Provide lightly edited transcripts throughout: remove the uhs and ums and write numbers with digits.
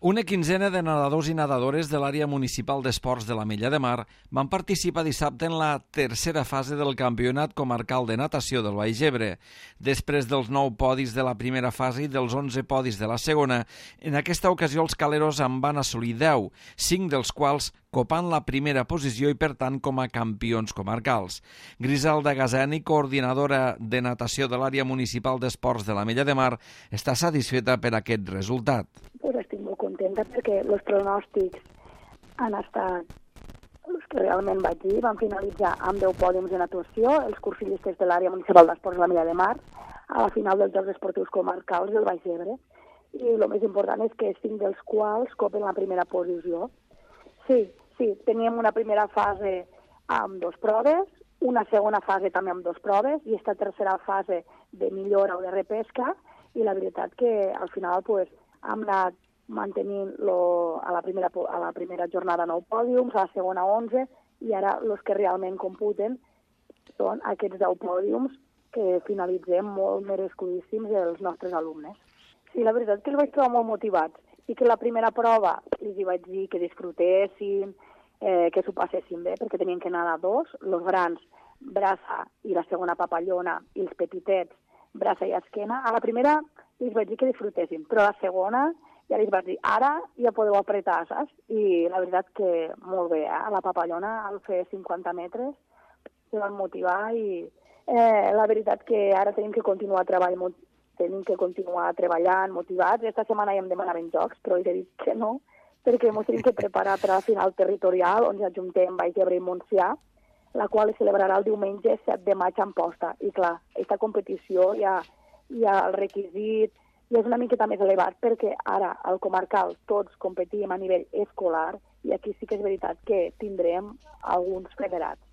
Una quinzena de nedadors i nedadores de l'àrea municipal d'esports de l'Ametlla de Mar van participar dissabte en la tercera fase del Campionat Comarcal de Natació del Baix Ebre. Després dels 9 podis de la primera fase i dels 11 podis de la segona, en aquesta ocasió els caleros en van assolir 10, 5 dels quals copant la primera posició i, per tant, com a campions comarcals. Griselda Gazani, coordinadora de natació de l'àrea municipal d'esports de l'Ametlla de Mar, està satisfeta per aquest resultat. Estic molt contenta perquè els pronòstics han estat els que realment vaig dir. Van finalitzar amb 10 pòdiums de natació, els cursillistes de l'àrea municipal d'esports de l'Ametlla de Mar, a la final dels Jocs Esportius Comarcals del Baix Ebre. I el més important és que 5 dels quals copen la primera posició. Sí, teníem una primera fase amb 2 proves, una segona fase també amb 2 proves i esta tercera fase de millora o de repesca, i la veritat que al final hem anat mantenint a la primera jornada 9 pòdiums, a la segona 11, i ara els que realment computen són aquests 10 pòdiums que finalitzem molt merescudíssims els nostres alumnes. Sí, la veritat que els vaig trobar molt motivats i que la primera prova els vaig dir que disfrutessin, que s'ho passessin bé, perquè tenien que nedar 2, els grans, braça i la segona papallona, i els petitets, braça i esquena. A la primera els vaig dir que disfrutessin, però a la segona ja els vaig dir, ara ja podeu apretar, saps? I la veritat que molt bé, a la papallona, al fer 50 metres, se van motivar i la veritat que ara tenim que continuar treballant motivats. Esta setmana ja em demanaven jocs, però he dit que no, perquè ens tenim que preparar per a la final territorial, on ja ajuntem Baix Ebre i Montsià, la qual es celebrarà el diumenge 7 de maig a Amposta. I clar, aquesta competició ja el requisit ja és una miqueta més elevat, perquè ara al comarcal tots competim a nivell escolar i aquí sí que és veritat que tindrem alguns federats.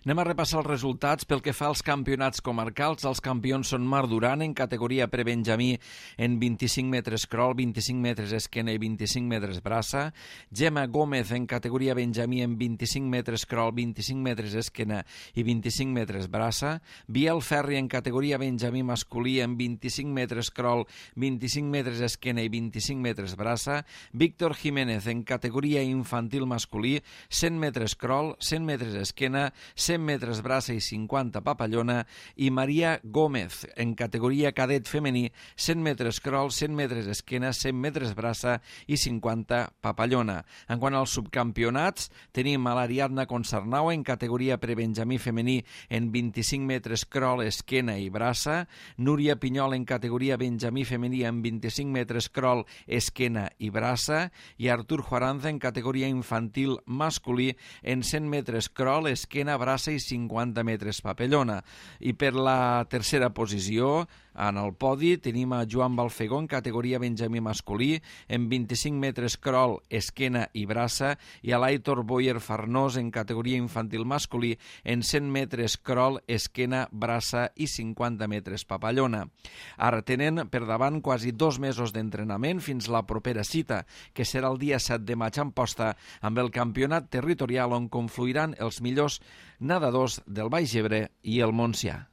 Anem a repassar els resultats. Pel que fa als campionats comarcals, els campions són Mar Duran en categoria prebenjamí en 25 metres crawl, 25 metres esquena i 25 metres braça, Gemma Gómez en categoria benjamí en 25 metres crawl, 25 metres esquena i 25 metres braça, Biel Ferri en categoria benjamí masculí en 25 metres crawl, 25 metres esquena i 25 metres braça, Víctor Jiménez en categoria infantil masculí, 100 metres crawl, 100 metres esquena, 100 metres braça i 50 papallona, i Maria Gómez en categoria cadet femení, 100 metres crawl, 100 metres esquena, 100 metres braça i 50 papallona. En quant als subcampionats, tenim a l'Ariadna Concernau en categoria prebenjamí femení en 25 metres crawl, esquena i braça, Núria Pinyol en categoria benjamí femení en 25 metres crawl, esquena i braça, i Artur Juaranza en categoria infantil masculí en 100 metres crawl, esquena, braça i 50 metres papallona. I per la tercera posició, en el podi, tenim a Joan Balfegó en categoria benjamí masculí en 25 metres crawl, esquena i braça, i a l'Aitor Boyer Farnós en categoria infantil masculí en 100 metres crawl, esquena, braça i 50 metres papallona. Ara tenen per davant quasi 2 mesos d'entrenament fins la propera cita, que serà el dia 7 de maig a Amposta, amb el campionat territorial on confluiran els millors nedadors del Baix Ebre i el Montsià.